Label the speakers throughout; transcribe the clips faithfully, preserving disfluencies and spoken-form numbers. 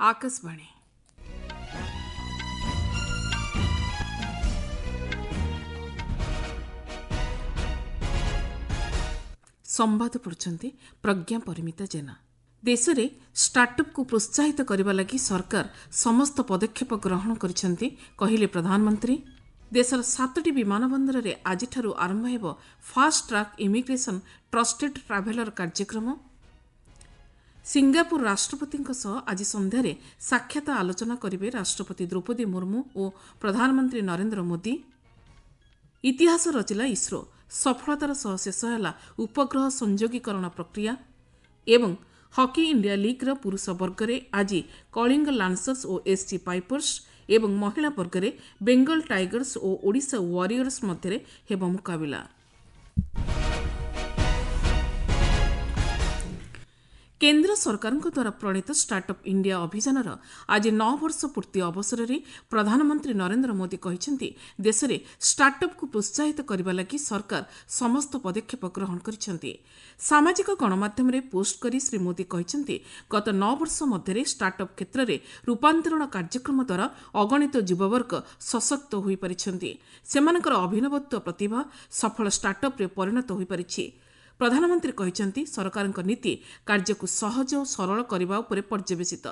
Speaker 1: ଆକାଶବାଣୀ। ସମ୍ବାଦ ପଢ଼ୁଛନ୍ତି ପ୍ରଜ୍ଞା ପରିମିତା ଜେନା। ଦେଶରେ ଷ୍ଟାର୍ଟଅପ୍କୁ ପ୍ରୋତ୍ସାହିତ କରିବା ଲାଗି ସରକାର ସମସ୍ତ ପଦକ୍ଷେପ ଗ୍ରହଣ କରିଛନ୍ତି, କହିଲେ ପ୍ରଧାନମନ୍ତ୍ରୀ। ଦେଶର ସାତଟି ବିମାନ ବନ୍ଦରରେ ଆଜିଠାରୁ ଆରମ୍ଭ ହେବ fast track immigration trusted traveller କାର୍ଯ୍ୟକ୍ରମ। ସିଙ୍ଗାପୁର ରାଷ୍ଟ୍ରପତିଙ୍କ ସହ ଆଜି ସନ୍ଧ୍ୟାରେ ସାକ୍ଷାତ ଆଲୋଚନା କରିବେ ରାଷ୍ଟ୍ରପତି ଦ୍ରୌପଦୀ ମୁର୍ମୁ ଓ ପ୍ରଧାନମନ୍ତ୍ରୀ ନରେନ୍ଦ୍ର ମୋଦି। ଇତିହାସ ରଚିଲା ଇସ୍ରୋ, ସଫଳତାର ସହ ଶେଷ ହେଲା ଉପଗ୍ରହ ସଂଯୋଗୀକରଣ ପ୍ରକ୍ରିୟା। ଏବଂ ହକି ଇଣ୍ଡିଆ ଲିଗ୍ର ପୁରୁଷ ବର୍ଗରେ ଆଜି କଳିଙ୍ଗ ଲାନ୍ସର୍ସ ଓ ଏସ୍ସି ପାଇପର୍ସ ଏବଂ ମହିଳା ବର୍ଗରେ ବେଙ୍ଗଲ ଟାଇଗର୍ସ ଓ ଓଡ଼ିଶା ୱାରିୟର୍ସ ମଧ୍ୟରେ ହେବ ମୁକାବିଲା। କେନ୍ଦ୍ର ସରକାରଙ୍କ ଦ୍ୱାରା ପ୍ରଣୀତ ଷ୍ଟାର୍ଟଅପ୍ ଇଣ୍ଡିଆ ଅଭିଯାନର ଆଜି ନଅ ବର୍ଷ ପୂର୍ତ୍ତି ଅବସରରେ ପ୍ରଧାନମନ୍ତ୍ରୀ ନରେନ୍ଦ୍ର ମୋଦି କହିଛନ୍ତି, ଦେଶରେ ଷ୍ଟାର୍ଟଅପ୍କୁ ପ୍ରୋତ୍ସାହିତ କରିବା ଲାଗି ସରକାର ସମସ୍ତ ପଦକ୍ଷେପ ଗ୍ରହଣ କରିଛନ୍ତି। ସାମାଜିକ ଗଣମାଧ୍ୟମରେ ପୋଷ୍ଟ କରି ଶ୍ରୀ ମୋଦି କହିଛନ୍ତି, ଗତ ନଅ ବର୍ଷ ମଧ୍ୟରେ ଷ୍ଟାର୍ଟଅପ୍ କ୍ଷେତ୍ରରେ ରୂପାନ୍ତରଣ କାର୍ଯ୍ୟକ୍ରମ ଦ୍ୱାରା ଅଗଣିତ ଯୁବବର୍ଗ ସଶକ୍ତ ହୋଇପାରିଛନ୍ତି। ସେମାନଙ୍କର ଅଭିନବତ୍ୱ ପ୍ରତିଭା ସଫଳ ଷ୍ଟାର୍ଟଅପ୍ରେ ପରିଣତ ହୋଇପାରିଛି। ପ୍ରଧାନମନ୍ତ୍ରୀ କହିଛନ୍ତି, ସରକାରଙ୍କ ନୀତି କାର୍ଯ୍ୟକୁ ସହଜ ଓ ସରଳ କରିବା ଉପରେ ପର୍ଯ୍ୟବେସିତ।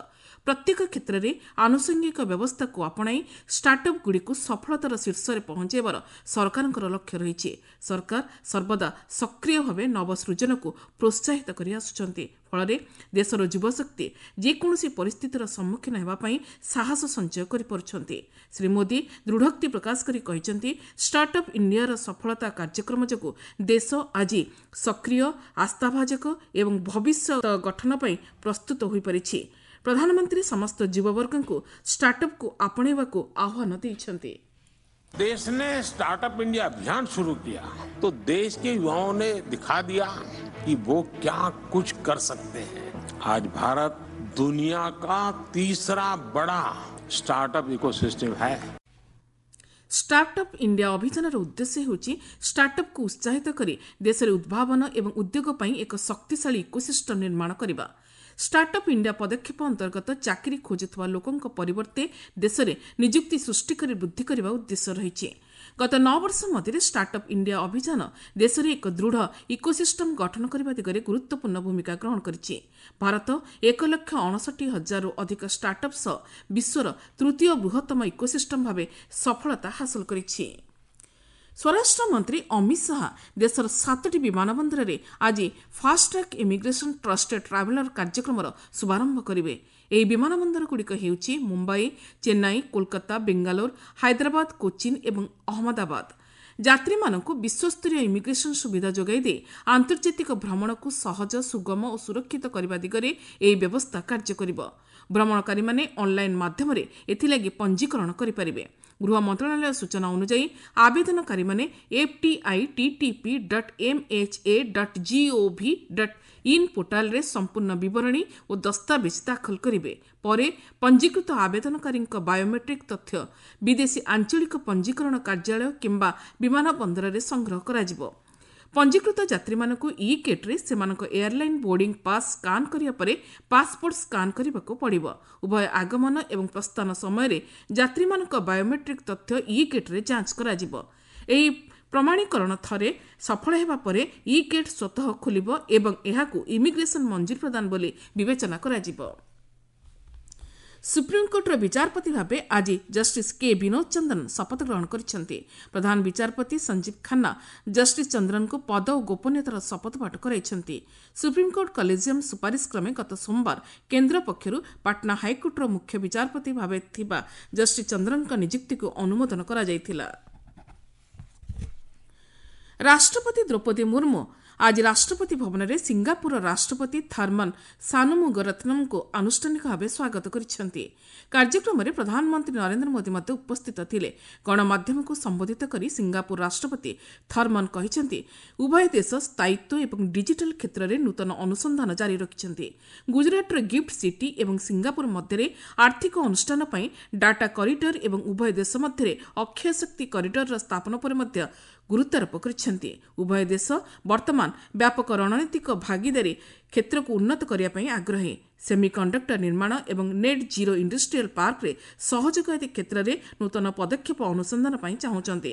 Speaker 1: ପ୍ରତ୍ୟେକ କ୍ଷେତ୍ରରେ ଆନୁଷଙ୍ଗିକ ବ୍ୟବସ୍ଥାକୁ ଆପଣାଇ ଷ୍ଟାର୍ଟଅପ୍ଗୁଡ଼ିକୁ ସଫଳତାର ଶୀର୍ଷରେ ପହଞ୍ଚାଇବାର ସରକାରଙ୍କର ଲକ୍ଷ୍ୟ ରହିଛି। ସରକାର ସର୍ବଦା ସକ୍ରିୟ ଭାବେ ନବସୃଜନକୁ ପ୍ରୋତ୍ସାହିତ କରି ଆସୁଛନ୍ତି। ଫଳରେ ଦେଶର ଯୁବଶକ୍ତି ଯେକୌଣସି ପରିସ୍ଥିତିର ସମ୍ମୁଖୀନ ହେବା ପାଇଁ ସାହସ ସଞ୍ଚୟ କରିପାରୁଛନ୍ତି। ଶ୍ରୀ ମୋଦି ଦୃଢ଼ୋକ୍ତି ପ୍ରକାଶ କରି କହିଛନ୍ତି, ଷ୍ଟାର୍ଟଅପ୍ ଇଣ୍ଡିଆର ସଫଳତା କାର୍ଯ୍ୟକ୍ରମ ଯୋଗୁଁ ଦେଶ ଆଜି ସକ୍ରିୟ, ଆସ୍ଥାଭାଜକ ଏବଂ ଭବିଷ୍ୟତ ଗଠନ ପାଇଁ ପ୍ରସ୍ତୁତ ହୋଇପାରିଛି। ପ୍ରଧାନମନ୍ତ୍ରୀ ସମସ୍ତ ଯୁବବର୍ଗଙ୍କୁ ଷ୍ଟାର୍ଟଅପ୍କୁ ଆପଣେଇବାକୁ ଆହ୍ୱାନ ଦେଇଛନ୍ତି।
Speaker 2: देश ने स्टार्टअप इंडिया अभियान शुरू किया तो देश के युवाओं ने दिखा दिया कि वो क्या कुछ कर सकते हैं। आज भारत दुनिया का तीसरा बड़ा स्टार्टअप इकोसिस्टम है।
Speaker 1: ଷ୍ଟାର୍ଟଅପ୍ ଇଣ୍ଡିଆ ଅଭିଯାନର ଉଦ୍ଦେଶ୍ୟ ହେଉଛି ଷ୍ଟାର୍ଟଅପ୍କୁ ଉତ୍ସାହିତ କରି ଦେଶରେ ଉଦ୍ଭାବନ ଏବଂ ଉଦ୍ୟୋଗ ପାଇଁ ଏକ ଶକ୍ତିଶାଳୀ ଇକୋସିଷ୍ଟମ୍ ନିର୍ମାଣ କରିବା। ଷ୍ଟାର୍ଟଅପ୍ ଇଣ୍ଡିଆ ପଦକ୍ଷେପ ଅନ୍ତର୍ଗତ ଚାକିରି ଖୋଜୁଥିବା ଲୋକଙ୍କ ପରିବର୍ତ୍ତେ ଦେଶରେ ନିଯୁକ୍ତି ସୃଷ୍ଟି କରି ବୃଦ୍ଧି କରିବା ଉଦ୍ଦେଶ୍ୟ ରହିଛି। ଗତ ନଅ ବର୍ଷ ମଧ୍ୟରେ ଷ୍ଟାର୍ଟଅପ୍ ଇଣ୍ଡିଆ ଅଭିଯାନ ଦେଶରେ ଏକ ଦୃଢ଼ ଇକୋସିଷ୍ଟମ୍ ଗଠନ କରିବା ଦିଗରେ ଗୁରୁତ୍ୱପୂର୍ଣ୍ଣ ଭୂମିକା ଗ୍ରହଣ କରିଛି। ଭାରତ ଏକ ଲକ୍ଷ ଅଣଷଠି ହଜାରରୁ ଅଧିକ ଷ୍ଟାର୍ଟଅପ୍ ସହ ବିଶ୍ୱର ତୃତୀୟ ବୃହତ୍ତମ ଇକୋସିଷ୍ଟମ୍ ଭାବେ ସଫଳତା ହାସଲ କରିଛି। ସ୍ୱରାଷ୍ଟ୍ର ମନ୍ତ୍ରୀ ଅମିତ ଶାହା ଦେଶର ସାତଟି ବିମାନ ବନ୍ଦରରେ ଆଜି ଫାଷ୍ଟଟ୍ରାକ୍ ଇମିଗ୍ରେସନ୍ ଟ୍ରଷ୍ଟେଡ୍ ଟ୍ରାଭେଲର କାର୍ଯ୍ୟକ୍ରମର ଶୁଭାରମ୍ଭ କରିବେ। ଏହି ବିମାନ ବନ୍ଦରଗୁଡ଼ିକ ହେଉଛି ମୁମ୍ବାଇ, ଚେନ୍ନାଇ, କୋଲକାତା, ବେଙ୍ଗାଲୁରୁ, ହାଇଦ୍ରାବାଦ, କୋଚିନ୍ ଏବଂ ଅହମ୍ମଦାବାଦ। ଯାତ୍ରୀମାନଙ୍କୁ ବିଶ୍ୱସ୍ତରୀୟ ଇମିଗ୍ରେସନ୍ ସୁବିଧା ଯୋଗାଇ ଦେଇ ଆନ୍ତର୍ଜାତିକ ଭ୍ରମଣକୁ ସହଜ, ସୁଗମ ଓ ସୁରକ୍ଷିତ କରିବା ଦିଗରେ ଏହି ବ୍ୟବସ୍ଥା କାର୍ଯ୍ୟ କରିବ। ଭ୍ରମଣକାରୀମାନେ ଅନ୍ଲାଇନ୍ ମାଧ୍ୟମରେ ଏଥିଲାଗି ପଞ୍ଜୀକରଣ କରିପାରିବେ। ଗୃହ ମନ୍ତ୍ରଣାଳୟ ସୂଚନା ଅନୁଯାୟୀ ଆବେଦନକାରୀମାନେ F T I T T P dot M H A dot G O V dot in ପୋର୍ଟାଲରେ ସମ୍ପୂର୍ଣ୍ଣ ବିବରଣୀ ଓ ଦସ୍ତାବିଜ ଦାଖଲ କରିବେ। ପରେ ପଞ୍ଜୀକୃତ ଆବେଦନକାରୀଙ୍କ ବାୟୋମେଟ୍ରିକ୍ ତଥ୍ୟ ବିଦେଶୀ ଆଞ୍ଚଳିକ ପଞ୍ଜୀକରଣ କାର୍ଯ୍ୟାଳୟ କିମ୍ବା ବିମାନ ବନ୍ଦରରେ ସଂଗ୍ରହ କରାଯିବ। ପଞ୍ଜୀକୃତ ଯାତ୍ରୀମାନଙ୍କୁ ଇ ଗେଟ୍ରେ ସେମାନଙ୍କ ଏୟାରଲାଇନ୍ ବୋର୍ଡିଂ ପାସ୍ ସ୍କାନ୍ କରିବା ପରେ ପାସପୋର୍ଟ ସ୍କାନ୍ କରିବାକୁ ପଡ଼ିବ। ଉଭୟ ଆଗମନ ଏବଂ ପ୍ରସ୍ଥାନ ସମୟରେ ଯାତ୍ରୀମାନଙ୍କ ବାୟୋମେଟ୍ରିକ୍ ତଥ୍ୟ ଇ ଗେଟ୍ରେ ଯାଞ୍ଚ କରାଯିବ। ଏହି ପ୍ରମାଣୀକରଣ ଥରେ ସଫଳ ହେବା ପରେ ଇ ଗେଟ୍ ସ୍ୱତଃ ଖୋଲିବ ଏବଂ ଏହାକୁ ଇମିଗ୍ରେସନ୍ ମଞ୍ଜୁରୀ ପ୍ରଦାନ ବୋଲି ବିବେଚନା କରାଯିବ। ସୁପ୍ରିମକୋର୍ଟର ବିଚାରପତି ଭାବେ ଆଜି ଜଷ୍ଟିସ୍ କେ ବିନୋଦ ଚନ୍ଦ୍ରନ ଶପଥ ଗ୍ରହଣ କରିଛନ୍ତି। ପ୍ରଧାନ ବିଚାରପତି ସଞ୍ଜୀବ ଖାନ୍ନା ଜଷ୍ଟିସ୍ ଚନ୍ଦ୍ରନଙ୍କୁ ପଦ ଓ ଗୋପନୀୟତାର ଶପଥ ପାଠ କରାଇଛନ୍ତି। ସୁପ୍ରିମକୋର୍ଟ କଲେଜିୟମ୍ ସୁପାରିଶ କ୍ରମେ ଗତ ସୋମବାର କେନ୍ଦ୍ର ପକ୍ଷରୁ ପାଟନା ହାଇକୋର୍ଟର ମୁଖ୍ୟ ବିଚାରପତି ଭାବେ ଥିବା ଜଷ୍ଟିସ୍ ଚନ୍ଦ୍ରନଙ୍କ ନିଯୁକ୍ତିକୁ ଅନୁମୋଦନ କରାଯାଇଥିଲା। ରାଷ୍ଟ୍ରପତି ଦ୍ରୌପଦୀ ମୁର୍ମୁ ଆଜି ରାଷ୍ଟ୍ରପତି ଭବନରେ ସିଙ୍ଗାପୁରର ରାଷ୍ଟ୍ରପତି ଥର୍ମନ୍ ସାନୁମୁଗରତ୍ନମଙ୍କୁ ଆନୁଷ୍ଠାନିକ ଭାବେ ସ୍ୱାଗତ କରିଛନ୍ତି। କାର୍ଯ୍ୟକ୍ରମରେ ପ୍ରଧାନମନ୍ତ୍ରୀ ନରେନ୍ଦ୍ର ମୋଦି ମଧ୍ୟ ଉପସ୍ଥିତ ଥିଲେ। ଗଣମାଧ୍ୟମକୁ ସମ୍ବୋଧିତ କରି ସିଙ୍ଗାପୁର ରାଷ୍ଟ୍ରପତି ଥର୍ମନ୍ କହିଛନ୍ତି, ଉଭୟ ଦେଶ ସ୍ଥାୟିତ୍ୱ ଏବଂ ଡିଜିଟାଲ କ୍ଷେତ୍ରରେ ନୂତନ ଅନୁସନ୍ଧାନ ଜାରି ରଖିଛନ୍ତି। ଗୁଜରାଟର ଗିଫ୍ଟ ସିଟି ଏବଂ ସିଙ୍ଗାପୁର ମଧ୍ୟରେ ଆର୍ଥିକ ଅନୁଷ୍ଠାନ ପାଇଁ ଡାଟା କରିଡର ଏବଂ ଉଭୟ ଦେଶ ମଧ୍ୟରେ ଅକ୍ଷୟ ଶକ୍ତି କରିଡରର ସ୍ଥାପନ ଉପରେ ମଧ୍ୟ ଗୁରୁତ୍ୱାରୋପ କରିଛନ୍ତି। ଉଭୟ ଦେଶ ବର୍ତ୍ତମାନ ବ୍ୟାପକ ରଣନୀତିକ ଭାଗିଦାରୀ କ୍ଷେତ୍ରକୁ ଉନ୍ନତ କରିବା ପାଇଁ ଆଗ୍ରହୀ। ସେମିକଣ୍ଡକ୍ଟର ନିର୍ମାଣ ଏବଂ ନେଟ୍ ଜିରୋ ଇଣ୍ଡଷ୍ଟ୍ରିଆଲ ପାର୍କରେ ସହଯୋଗ ଆଦି କ୍ଷେତ୍ରରେ ନୂତନ ପଦକ୍ଷେପ ଅନୁସନ୍ଧାନ ପାଇଁ ଚାହୁଁଛନ୍ତି।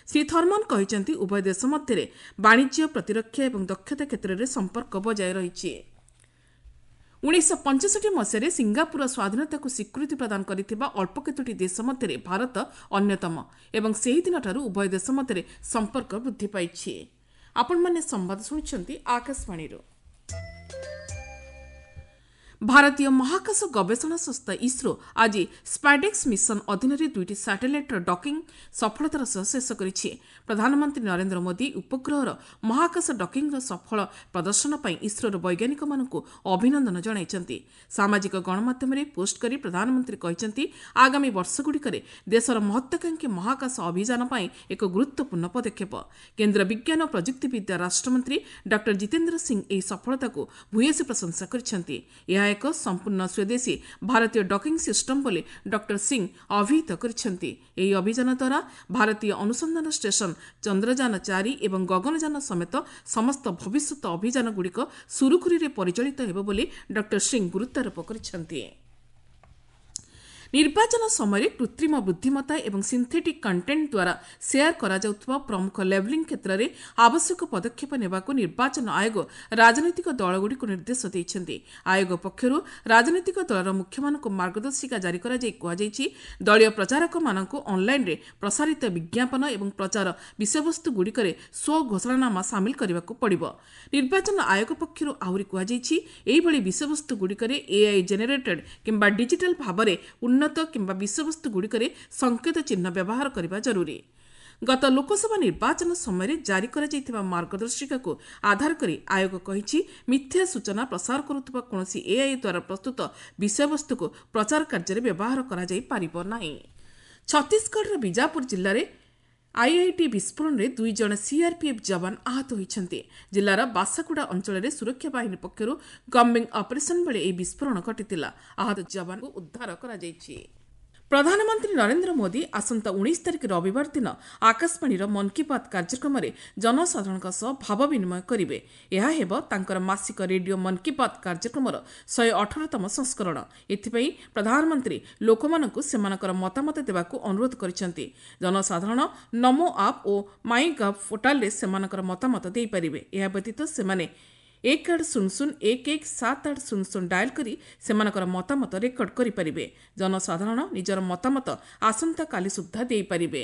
Speaker 1: ଶ୍ରୀ ଥର୍ମନ କହିଛନ୍ତି, ଉଭୟ ଦେଶ ମଧ୍ୟରେ ବାଣିଜ୍ୟ, ପ୍ରତିରକ୍ଷା ଏବଂ ଦକ୍ଷତା କ୍ଷେତ୍ରରେ ସମ୍ପର୍କ ବଜାୟ ରହିଛି। ଉଣେଇଶହ ପଞ୍ଚଷଠି ମସିହାରେ ସିଙ୍ଗାପୁରର ସ୍ୱାଧୀନତାକୁ ସ୍ୱୀକୃତି ପ୍ରଦାନ କରିଥିବା ଅଳ୍ପ କେତୋଟି ଦେଶ ମଧ୍ୟରେ ଭାରତ ଅନ୍ୟତମ ଏବଂ ସେହିଦିନଠାରୁ ଉଭୟ ଦେଶ ମଧ୍ୟରେ ସମ୍ପର୍କ ବୃଦ୍ଧି ପାଇଛି। ଆପଣମାନେ ସମ୍ବାଦ ଶୁଣୁଛନ୍ତି ଆକାଶବାଣୀରୁ। ଭାରତୀୟ ମହାକାଶ ଗବେଷଣା ସଂସ୍ଥା ଇସ୍ରୋ ଆଜି ସ୍ପାଡେକ୍ସ ମିଶନ ଅଧୀନରେ ଦୁଇଟି ସାଟେଲାଇଟ୍ର ଡକିଂ ସଫଳତାର ସହ ଶେଷ କରିଛି। ପ୍ରଧାନମନ୍ତ୍ରୀ ନରେନ୍ଦ୍ର ମୋଦି ଉପଗ୍ରହର ମହାକାଶ ଡକିଂର ସଫଳ ପ୍ରଦର୍ଶନ ପାଇଁ ଇସ୍ରୋର ବୈଜ୍ଞାନିକମାନଙ୍କୁ ଅଭିନନ୍ଦନ ଜଣାଇଛନ୍ତି। ସାମାଜିକ ଗଣମାଧ୍ୟମରେ ପୋଷ୍ଟ କରି ପ୍ରଧାନମନ୍ତ୍ରୀ କହିଛନ୍ତି, ଆଗାମୀ ବର୍ଷଗୁଡ଼ିକରେ ଦେଶର ମହତ୍ୱାକାଂକ୍ଷୀ ମହାକାଶ ଅଭିଯାନ ପାଇଁ ଏକ ଗୁରୁତ୍ୱପୂର୍ଣ୍ଣ ପଦକ୍ଷେପ। କେନ୍ଦ୍ର ବିଜ୍ଞାନ ଓ ପ୍ରଯୁକ୍ତିବିଦ୍ୟା ରାଷ୍ଟ୍ରମନ୍ତ୍ରୀ ଡକ୍ଟର ଜିତେନ୍ଦ୍ର ସିଂ ଏହି ସଫଳତାକୁ ଭୂୟସୀ ପ୍ରଶଂସା କରିଛନ୍ତି। ଏହା ଏକ ସମ୍ପୂର୍ଣ୍ଣ ସ୍ୱଦେଶୀ ଭାରତୀୟ ଡକିଂ ସିଷ୍ଟମ ବୋଲି ଡକ୍ଟର ସିଂ ଅଭିହିତ କରିଛନ୍ତି। ଏହି ଅଭିଯାନ ଦ୍ୱାରା ଭାରତୀୟ ଅନୁସନ୍ଧାନ ଷ୍ଟେସନ ଚନ୍ଦ୍ରଯାନ ଚାରି ଏବଂ ଗଗନଯାନ ସମେତ ସମସ୍ତ ଭବିଷ୍ୟତ ଅଭିଯାନଗୁଡ଼ିକ ସୁରୁଖୁରୁରେ ପରିଚାଳିତ ହେବ ବୋଲି ଡକ୍ଟର ସିଂ ଗୁରୁତ୍ୱାରୋପ କରିଛନ୍ତି। ନିର୍ବାଚନ ସମୟରେ କୃତ୍ରିମ ବୁଦ୍ଧିମତ୍ତା ଏବଂ ସିନ୍ଥେଟିକ୍ କଣ୍ଟେଣ୍ଟ ଦ୍ୱାରା ସେୟାର କରାଯାଉଥିବା ପ୍ରମୁଖ ଲେବଲିଂ କ୍ଷେତ୍ରରେ ଆବଶ୍ୟକ ପଦକ୍ଷେପ ନେବାକୁ ନିର୍ବାଚନ ଆୟୋଗ ରାଜନୈତିକ ଦଳଗୁଡ଼ିକୁ ନିର୍ଦ୍ଦେଶ ଦେଇଛନ୍ତି। ଆୟୋଗ ପକ୍ଷରୁ ରାଜନୈତିକ ଦଳର ମୁଖ୍ୟମାନଙ୍କୁ ମାର୍ଗଦର୍ଶିକା ଜାରି କରାଯାଇ କୁହାଯାଇଛି, ଦଳୀୟ ପ୍ରଚାରକମାନଙ୍କୁ ଅନ୍ଲାଇନ୍ରେ ପ୍ରସାରିତ ବିଜ୍ଞାପନ ଏବଂ ପ୍ରଚାର ବିଷୟବସ୍ତୁଗୁଡ଼ିକରେ ସ୍ୱଘୋଷଣାନାମା ସାମିଲ କରିବାକୁ ପଡ଼ିବ। ନିର୍ବାଚନ ଆୟୋଗ ପକ୍ଷରୁ ଆହୁରି କୁହାଯାଇଛି, ଏହିଭଳି ବିଷୟବସ୍ତୁଗୁଡ଼ିକରେ ଏଆଇ ଜେନେରେଟେଡ୍ କିମ୍ବା ଡିଜିଟାଲ ଭାବରେ ଉନ୍ନତ କିମ୍ବା ବିଷୟବସ୍ତୁଗୁଡ଼ିକରେ ସଂକେତ ଚିହ୍ନ ବ୍ୟବହାର କରିବା ଜରୁରୀ। ଗତ ଲୋକସଭା ନିର୍ବାଚନ ସମୟରେ ଜାରି କରାଯାଇଥିବା ମାର୍ଗଦର୍ଶିକାକୁ ଆଧାର କରି ଆୟୋଗ କହିଛି, ମିଥ୍ୟା ସୂଚନା ପ୍ରସାର କରୁଥିବା କୌଣସି ଏଆଇ ଦ୍ୱାରା ପ୍ରସ୍ତୁତ ବିଷୟବସ୍ତୁକୁ ପ୍ରଚାର କାର୍ଯ୍ୟରେ ବ୍ୟବହାର କରାଯାଇପାରିବ ନାହିଁ। ଛତିଶଗଡ଼ର ବିଜାପୁର ଜିଲ୍ଲାରେ ଆଇଆଇଟି ବିସ୍ଫୋରଣରେ ଦୁଇ ଜଣ ସିଆର୍ପିଏଫ୍ ଯବାନ ଆହତ ହୋଇଛନ୍ତି। ଜିଲ୍ଲାର ବାସାଗୁଡ଼ା ଅଞ୍ଚଳରେ ସୁରକ୍ଷା ବାହିନୀ ପକ୍ଷରୁ କମ୍ବିଂ ଅପରେସନ୍ ବେଳେ ଏହି ବିସ୍ଫୋରଣ ଘଟିଥିଲା। ଆହତ ଯବାନଙ୍କୁ ଉଦ୍ଧାର କରାଯାଇଛି। ପ୍ରଧାନମନ୍ତ୍ରୀ ନରେନ୍ଦ୍ର ମୋଦି ଆସନ୍ତା ଉଣେଇଶ ତାରିଖ ରବିବାର ଦିନ ଆକାଶବାଣୀର ମନ୍ କି ବାତ୍ କାର୍ଯ୍ୟକ୍ରମରେ ଜନସାଧାରଣଙ୍କ ସହ ଭାବ ବିନିମୟ କରିବେ। ଏହା ହେବ ତାଙ୍କର ମାସିକ ରେଡିଓ ମନ୍ କି ବାତ୍ କାର୍ଯ୍ୟକ୍ରମର ଶହେ ଅଠରତମ ସଂସ୍କରଣ। ଏଥିପାଇଁ ପ୍ରଧାନମନ୍ତ୍ରୀ ଲୋକମାନଙ୍କୁ ସେମାନଙ୍କର ମତାମତ ଦେବାକୁ ଅନୁରୋଧ କରିଛନ୍ତି। ଜନସାଧାରଣ ନମୋ ଆପ୍ ଓ ମାଇ ଗଭ୍ ପୋର୍ଟାଲରେ ସେମାନଙ୍କର ମତାମତ ଦେଇପାରିବେ। ଏହା ବ୍ୟତୀତ ସେମାନେ ଏକ ଆଠ ଶୂନ ଶୂନ ଏକ ଏକ ସାତ ଆଠ ଶୂନ ଶୂନ ଡାଏଲ୍ କରି ସେମାନଙ୍କର ମତାମତ ରେକର୍ଡ କରିପାରିବେ। ଜନସାଧାରଣ ନିଜର ମତାମତ ଆସନ୍ତାକାଲି ସୁଦ୍ଧା ଦେଇପାରିବେ।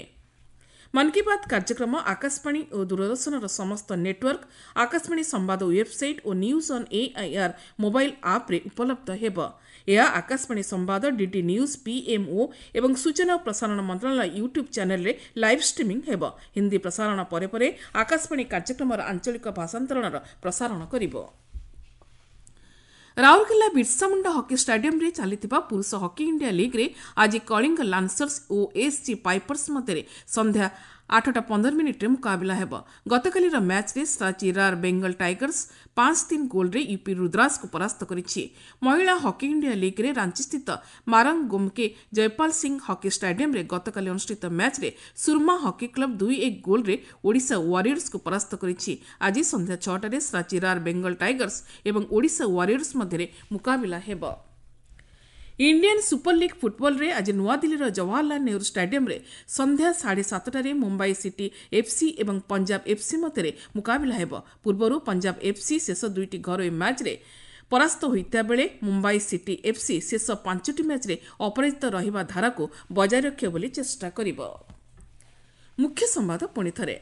Speaker 1: ମନ୍ କି ବାତ୍ କାର୍ଯ୍ୟକ୍ରମ ଆକାଶବାଣୀ ଓ ଦୂରଦର୍ଶନର ସମସ୍ତ ନେଟୱାର୍କ, ଆକାଶବାଣୀ ସମ୍ବାଦ website O news on AIR mobile ଆପ୍ରେ ଉପଲବ୍ଧ ହେବ। ଏହା ଆକାଶବାଣୀ ସମ୍ବାଦ, ଡିଡି ନ୍ୟୁଜ୍, ପିଏମ୍ଓ ଏବଂ ସୂଚନା ଓ ପ୍ରସାରଣ ମନ୍ତ୍ରଣାଳୟ ୟୁଟ୍ୟୁବ୍ ଚ୍ୟାନେଲରେ ଲାଇଭ୍ ଷ୍ଟ୍ରିମିଂ ହେବ। ହିନ୍ଦୀ ପ୍ରସାରଣ ପରେ ପରେ ଆକାଶବାଣୀ କାର୍ଯ୍ୟକ୍ରମର ଆଞ୍ଚଳିକ ଭାଷାନ୍ତରଣର ପ୍ରସାରଣ କରିବ। ରାଉରକେଲା ବିର୍ସାମୁଣ୍ଡା ହକି ଷ୍ଟାଡିୟମରେ ଚାଲିଥିବା ପୁରୁଷ ହକି ଇଣ୍ଡିଆ ଲିଗ୍ରେ ଆଜି କଳିଙ୍ଗ ଲାନ୍ସର୍ସ ଓ ଏସ୍ଜି ପାଇପର୍ସ ମଧ୍ୟରେ ସନ୍ଧ୍ୟା ଆଠଟା ପନ୍ଦର ମିନିଟ୍ରେ ମୁକାବିଲା ହେବ। ଗତକାଲିର ମ୍ୟାଚ୍ରେ ସାଚି ରାର୍ ବେଙ୍ଗଲ ଟାଇଗର୍ସ ପାଞ୍ଚ ତିନି ଗୋଲ୍ରେ ୟୁପି ରୁଦ୍ରାସକୁ ପରାସ୍ତ କରିଛି। ମହିଳା ହକି ଇଣ୍ଡିଆ ଲିଗ୍ରେ ରାଞ୍ଚିସ୍ଥିତ ମାରଙ୍ଗ ଗୋମକେ ଜୟପାଲ ସିଂ ହକି ଷ୍ଟାଡିୟମରେ ଗତକାଲି ଅନୁଷ୍ଠିତ ମ୍ୟାଚ୍ରେ ସୁରମା ହକି କ୍ଲବ ଦୁଇ ଏକ ଗୋଲ୍ରେ ଓଡ଼ିଶା ୱାରିୟର୍ସକୁ ପରାସ୍ତ କରିଛି। ଆଜି ସନ୍ଧ୍ୟା ଛଅଟାରେ ସାଚି ରାର୍ ବେଙ୍ଗଲ ଟାଇଗର୍ସ ଏବଂ ଓଡ଼ିଶା ୱାରିୟର୍ସ ମଧ୍ୟରେ ମୁକାବିଲା ହେବ। ଇଣ୍ଡିଆନ୍ ସୁପର ଲିଗ୍ ଫୁଟବଲରେ ଆଜି ନୂଆଦିଲ୍ଲୀର ଜବାହରଲାଲ ନେହେରୁ ଷ୍ଟାଡିୟମରେ ସନ୍ଧ୍ୟା ସାଢ଼େ ସାତଟାରେ ମୁମ୍ବାଇ ସିଟି ଏଫ୍ସି ଏବଂ ପଞ୍ଜାବ ଏଫ୍ସି ମଧ୍ୟରେ ମୁକାବିଲା ହେବ। ପୂର୍ବରୁ ପଞ୍ଜାବ ଏଫ୍ସି ଶେଷ ଦୁଇଟି ଘରୋଇ ମ୍ୟାଚ୍ରେ ପରାସ୍ତ ହୋଇଥିବା ବେଳେ ମୁମ୍ବାଇ ସିଟି ଏଫ୍ସି ଶେଷ ପାଞ୍ଚଟି ମ୍ୟାଚ୍ରେ ଅପରାଜିତ ରହିବା ଧାରାକୁ ବଜାୟ ରଖିବ ବୋଲି ଚେଷ୍ଟା କରିବ। ମୁଖ୍ୟ ସମ୍ବାଦ ପୁଣି ଥରେ,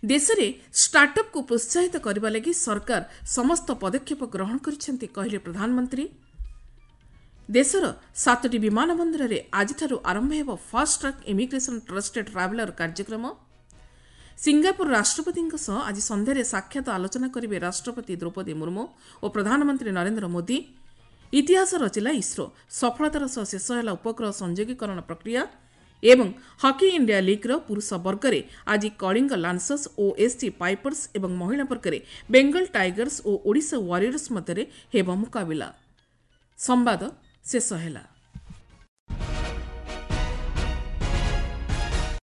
Speaker 1: ଦେଶରେ ଷ୍ଟାର୍ଟଅପ୍କୁ ପ୍ରୋତ୍ସାହିତ କରିବା ଲାଗି ସରକାର ସମସ୍ତ ପଦକ୍ଷେପ ଗ୍ରହଣ କରିଛନ୍ତି, କହିଲେ ପ୍ରଧାନମନ୍ତ୍ରୀ। ଦେଶର ସାତୋଟି ବିମାନ ବନ୍ଦରରେ ଆଜିଠାରୁ ଆରମ୍ଭ ହେବ fast track immigration trusted traveller କାର୍ଯ୍ୟକ୍ରମ। ସିଙ୍ଗାପୁର ରାଷ୍ଟ୍ରପତିଙ୍କ ସହ ଆଜି ସନ୍ଧ୍ୟାରେ ସାକ୍ଷାତ ଆଲୋଚନା କରିବେ ରାଷ୍ଟ୍ରପତି ଦ୍ରୌପଦୀ ମୁର୍ମୁ ଓ ପ୍ରଧାନମନ୍ତ୍ରୀ ନରେନ୍ଦ୍ର ମୋଦି। ଇତିହାସ ରଚିଲା ଇସ୍ରୋ, ସଫଳତାର ସହ ଶେଷ ହେଲା ଉପଗ୍ରହ ସଂଯୋଗୀକରଣ ପ୍ରକ୍ରିୟା। ଏବଂ ହକି ଇଣ୍ଡିଆ ଲିଗ୍ର ପୁରୁଷ ବର୍ଗରେ ଆଜି କଳିଙ୍ଗ ଲାନ୍ସର୍ସ ଓ ଏସ୍ସି ପାଇପର୍ସ ଏବଂ ମହିଳା ବର୍ଗରେ ବେଙ୍ଗଲ ଟାଇଗର୍ସ ଓ ଓଡ଼ିଶା ୱାରିୟର୍ସ ମଧ୍ୟରେ ହେବ ମୁକାବିଲା। ସମ୍ବାଦ ଶେଷ ହେଲା।